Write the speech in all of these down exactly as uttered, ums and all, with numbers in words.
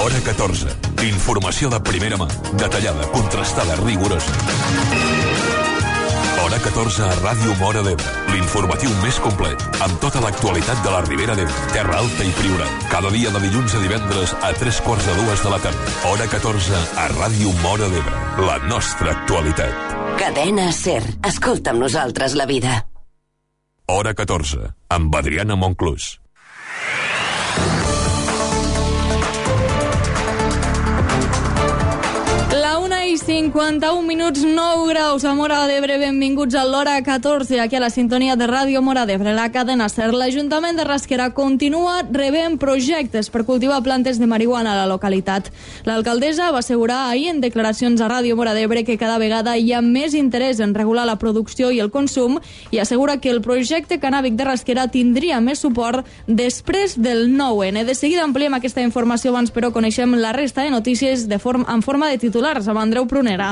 Hora catorze. Informació de primera mà, detallada, contrastada, rigorosa. Hora catorze a Ràdio Móra d'Ebre. L'informatiu més complet, amb tota l'actualitat de la Ribera d'Ebre, Terra Alta i Priorat. Cada dia de dilluns a divendres a tres quarts de dues de la tarda. Hora catorze a Ràdio Móra d'Ebre. La nostra actualitat. Cadena SER. Escolta amb nosaltres la vida. Hora catorze, amb Adriana Monclús. cinquanta-un minuts, nou graus a Móra d'Ebre. Benvinguts a l'Hora catorze, aquí a la sintonia de Ràdio Móra d'Ebre, la cadena SER. L'Ajuntament de Rasquera continua rebent projectes per cultivar plantes de marihuana a la localitat. L'alcaldessa va assegurar ahir en declaracions a Ràdio Móra d'Ebre que cada vegada hi ha més interès en regular la producció i el consum, i assegura que el projecte cannàbic de Rasquera tindria més suport després del nou ene. De seguida ampliem aquesta informació, abans però coneixem la resta de notícies de forma, en forma de titulars amb Andreu Prunera.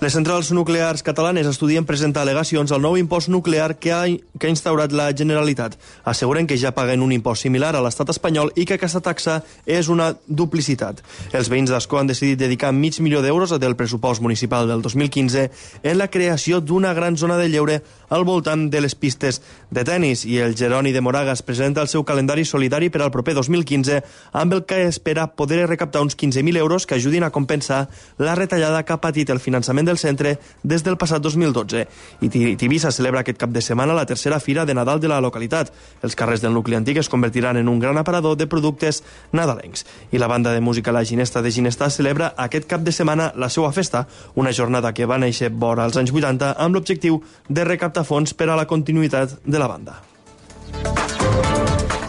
Les centrals nuclears catalanes estudien presentar al·legacions al nou impost nuclear que ha, que ha instaurat la Generalitat. Asseguren que ja paguen un impost similar a l'estat espanyol i que aquesta taxa és una duplicitat. Els veïns d'Ascó han decidit dedicar mig milió d'euros del pressupost municipal del dos mil quinze en la creació d'una gran zona de lleure al voltant de les pistes de tennis, i el Jeroni de Moragas presenta el seu calendari solidari per al proper dos mil quinze, amb el que espera poder recaptar uns quinze mil euros que ajudin a compensar la retallada que ha patit el finançament del centre des del passat dos mil dotze. I Tivissa celebra aquest cap de setmana la tercera fira de Nadal de la localitat. Els carrers del nucli antic es convertiran en un gran aparador de productes nadalencs. I la banda de música La Ginesta de Ginestà celebra aquest cap de setmana la seva festa, una jornada que va néixer vora als anys vuitanta amb l'objectiu de recaptar fons per a la continuïtat de la banda.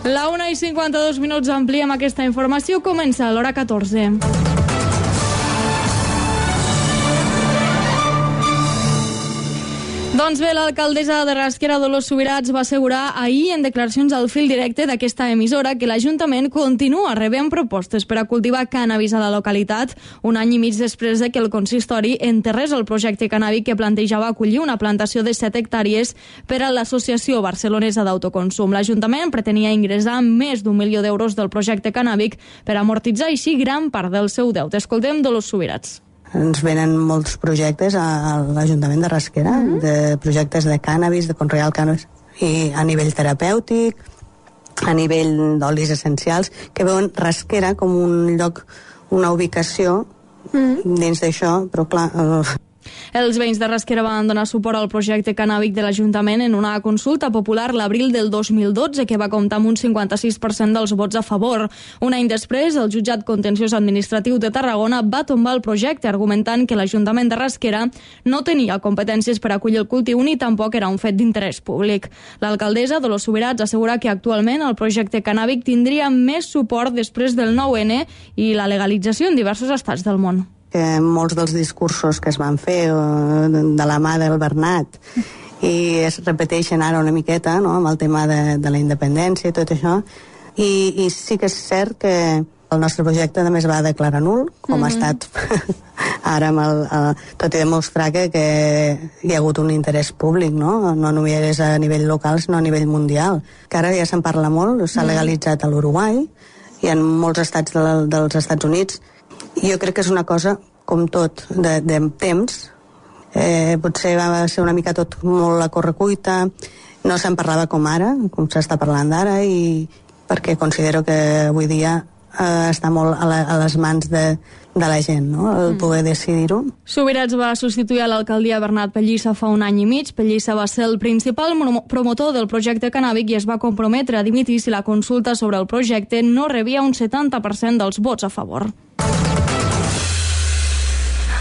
La una i cinquanta-dos minuts, ampliem aquesta informació. Comença l'Hora catorze. Doncs bé, l'alcaldessa de Rasquera, Dolors Subirats, va assegurar ahir en declaracions al fil directe d'aquesta emissora que l'Ajuntament continua rebent propostes per a cultivar cànnabis a la localitat, un any i mig després de que el consistori enterrés el projecte cannàbic que plantejava acollir una plantació de set hectàrees per a l'Associació Barcelonesa d'Autoconsum. L'Ajuntament pretenia ingressar més d'un milió d'euros del projecte cannàbic per amortitzar així gran part del seu deute. Escoltem Dolors Subirats. Ens venen molts projectes a l'Ajuntament de Rasquera, mm-hmm. de projectes de cànnabis, de conrear el cànnabis, i a nivell terapèutic, a nivell d'olis essencials, que veuen Rasquera com un lloc, una ubicació mm-hmm. dins d'això, però clar... Uh... Els veïns de Rasquera van donar suport al projecte cannàbic de l'Ajuntament en una consulta popular l'abril del dos mil dotze, que va comptar amb un cinquanta-sis per cent dels vots a favor. Un any després, el jutjat contenciós administratiu de Tarragona va tombar el projecte, argumentant que l'Ajuntament de Rasquera no tenia competències per acollir el cultiu ni tampoc era un fet d'interès públic. L'alcaldessa, Dolors Subirats, assegura que actualment el projecte cannàbic tindria més suport després del nou ene i la legalització en diversos estats del món. Que molts dels discursos que es van fer de la mà del Bernat i es repeteixen ara una miqueta, no?, amb el tema de, de la independència i tot això, i, i sí que és cert que el nostre projecte també es va declarar nul, com mm-hmm. ha estat ara, amb el, el, tot i demostrar que, que hi ha hagut un interès públic, no? No només a nivell local, sinó a nivell mundial, que ara ja se'n parla molt, s'ha legalitzat a l'Uruguai i en molts estats de, dels Estats Units. Jo crec que és una cosa, com tot, de, de temps. Eh, potser va ser una mica tot molt a correcuita, no se'n parlava com ara, com s'està parlant ara, i perquè considero que avui dia eh, està molt a, la, a les mans de, de la gent, no?, el poder decidir-ho. Subirats va substituir a l'alcaldia Bernat Pellissa fa un any i mig. Pellissa va ser el principal promotor del projecte cannàbic i es va comprometre a dimitir si la consulta sobre el projecte no rebia un setanta per cent dels vots a favor.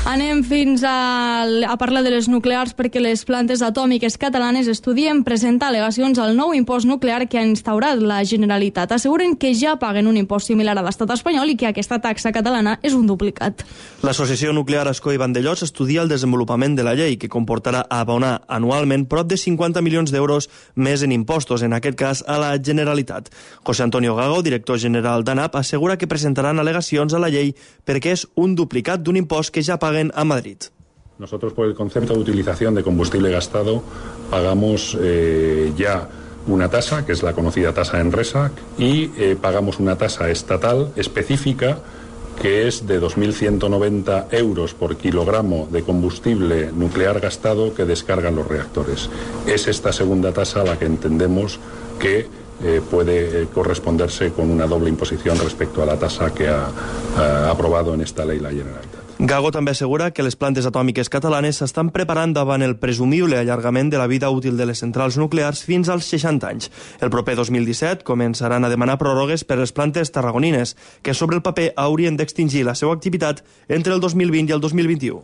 Anem fins a, a parlar de les nuclears, perquè les plantes atòmiques catalanes estudien presentar al·legacions al nou impost nuclear que ha instaurat la Generalitat. Asseguren que ja paguen un impost similar a l'estat espanyol i que aquesta taxa catalana és un duplicat. L'Associació Nuclear Ascó i Vandellòs estudia el desenvolupament de la llei, que comportarà abonar anualment prop de cinquanta milions d'euros més en impostos, en aquest cas a la Generalitat. José Antonio Gago, director general d'ANAP, assegura que presentaran al·legacions a la llei perquè és un duplicat d'un impost que ja paguen a Madrid. Nosotros, por el concepto de utilización de combustible gastado, pagamos eh, ya una tasa, que es la conocida tasa ENRESA, y eh, pagamos una tasa estatal específica que es de dos mil ciento noventa euros por kilogramo de combustible nuclear gastado que descargan los reactores. Es esta segunda tasa la que entendemos que eh, puede corresponderse con una doble imposición respecto a la tasa que ha, ha aprobado en esta ley la Generalitat. Gago també assegura que les plantes atòmiques catalanes s'estan preparant davant el presumible allargament de la vida útil de les centrals nuclears fins als seixanta anys. El proper dos mil disset començaran a demanar pròrrogues per les plantes tarragonines, que sobre el paper haurien d'extingir la seva activitat entre el dos mil vint i el dos mil vint-i-u.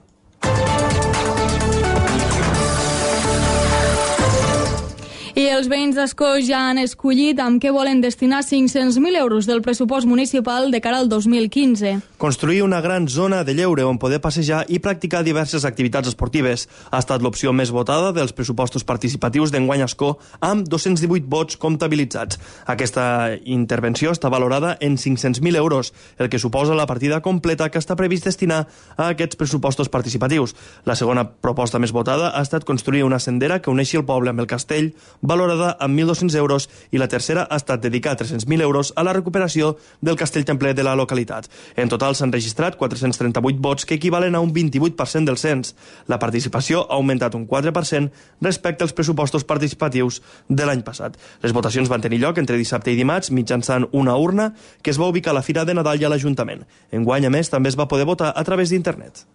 I els veïns d'Ascó ja han escollit amb què volen destinar cinc-cents mil euros del pressupost municipal de cara al dos mil quinze. Construir una gran zona de lleure on poder passejar i practicar diverses activitats esportives ha estat l'opció més votada dels pressupostos participatius d'enguany a Ascó, amb dos-cents divuit vots comptabilitzats. Aquesta intervenció està valorada en cinc-cents mil euros, el que suposa la partida completa que està previst destinar a aquests pressupostos participatius. La segona proposta més votada ha estat construir una sendera que uneixi el poble amb el castell, valorada amb mil dos-cents euros, i la tercera ha estat dedicar tres-cents mil euros a la recuperació del castell templer de la localitat. En total s'han registrat quatre-cents trenta-vuit vots, que equivalen a un vint-i-vuit per cent del cens. La participació ha augmentat un quatre per cent respecte als pressupostos participatius de l'any passat. Les votacions van tenir lloc entre dissabte i dimarts mitjançant una urna que es va ubicar a la Fira de Nadal i a l'Ajuntament. Enguany, a més, també es va poder votar a través d'internet.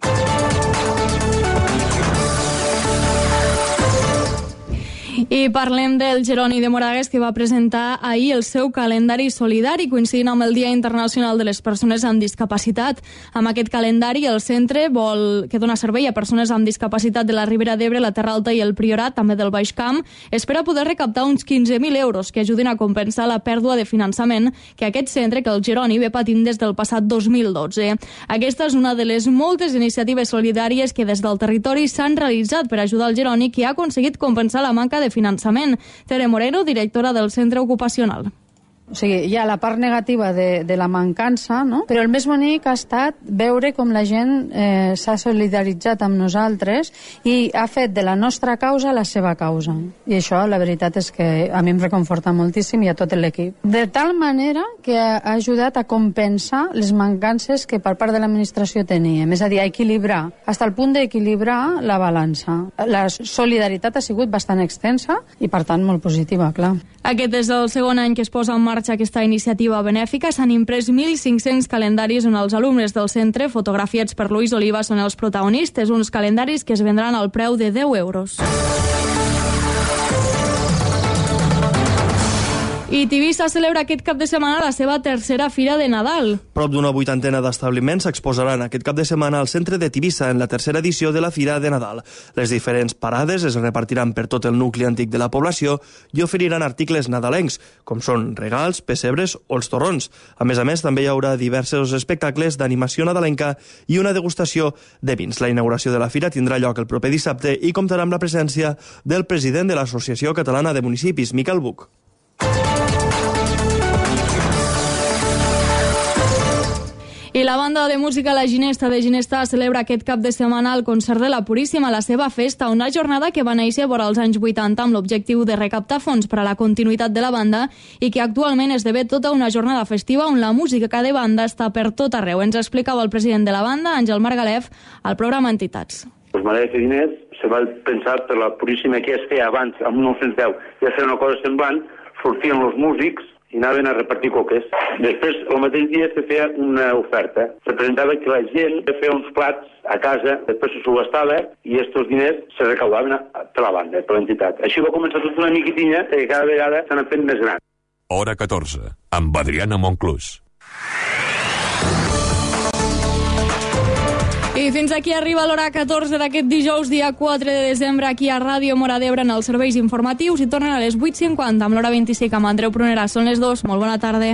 I parlem del Jeroni de Moragues, que va presentar ahir el seu calendari solidari coincidint amb el Dia Internacional de les Persones amb Discapacitat. Amb aquest calendari, el centre vol que dona servei a persones amb discapacitat de la Ribera d'Ebre, la Terra Alta i el Priorat, també del Baix Camp, espera poder recaptar uns quinze mil euros que ajudin a compensar la pèrdua de finançament que aquest centre, que el Jeroni, ve patint des del passat dos mil dotze. Aquesta és una de les moltes iniciatives solidàries que des del territori s'han realitzat per ajudar el Jeroni, que ha aconseguit compensar la manca de finançament. Tere Moreno, directora del centre ocupacional. O sigui, hi ha la part negativa de, de la mancança, no? Però el més bonic ha estat veure com la gent eh, s'ha solidaritzat amb nosaltres i ha fet de la nostra causa la seva causa. I això, la veritat és que a mi em reconforta moltíssim i a tot l'equip. De tal manera que ha ajudat a compensar les mancances que per part de l'administració teníem, és a dir, a equilibrar, fins al punt d'equilibrar la balança. La solidaritat ha sigut bastant extensa i, per tant, molt positiva, clar. Aquest és el segon any que es posa en marxa aquesta iniciativa benèfica. S'han imprès mil cinc-cents calendaris on els alumnes del centre, fotografiats per Luis Oliva, són els protagonistes, uns calendaris que es vendran al preu de deu euros. I Tivissa celebra aquest cap de setmana la seva tercera Fira de Nadal. Prop d'una vuitantena d'establiments s'exposaran aquest cap de setmana al centre de Tivissa en la tercera edició de la Fira de Nadal. Les diferents parades es repartiran per tot el nucli antic de la població i oferiran articles nadalencs, com són regals, pessebres o els torrons. A més a més, també hi haurà diversos espectacles d'animació nadalenca i una degustació de vins. La inauguració de la Fira tindrà lloc el proper dissabte i comptarà amb la presència del president de l'Associació Catalana de Municipis, Miquel Buch. I la banda de música La Ginesta de Ginesta celebra aquest cap de setmana el concert de la Puríssima, la seva festa, una jornada que va néixer vora els anys vuitanta amb l'objectiu de recaptar fons per a la continuïtat de la banda i que actualment esdevé tota una jornada festiva on la música de banda està per tot arreu. Ens explicava el president de la banda, Àngel Margalef, al programa Entitats. Pues Maria de Diners se va pensar per la Puríssima que es feia abans, en mil nou-cents deu, ja feia una cosa semblant, sortien els músics i anaven a repartir coques. Després, el mateix dia se feia una oferta. Representava que la gent feia uns plats a casa, després se subhastava i aquests diners se recaudaven per la banda, per l'entitat. Així va començar tota una miquitinya que cada vegada s'han fet més gran. Hora catorze, amb Adriana Monclús. I fins aquí arriba l'hora catorze d'aquest dijous, dia quatre de desembre, aquí a Ràdio Móra d'Ebre en els serveis informatius, i tornen a les vuit cinquanta amb l'hora vint-i-cinc amb Andreu Prunera. Són les dues. Molt bona tarda.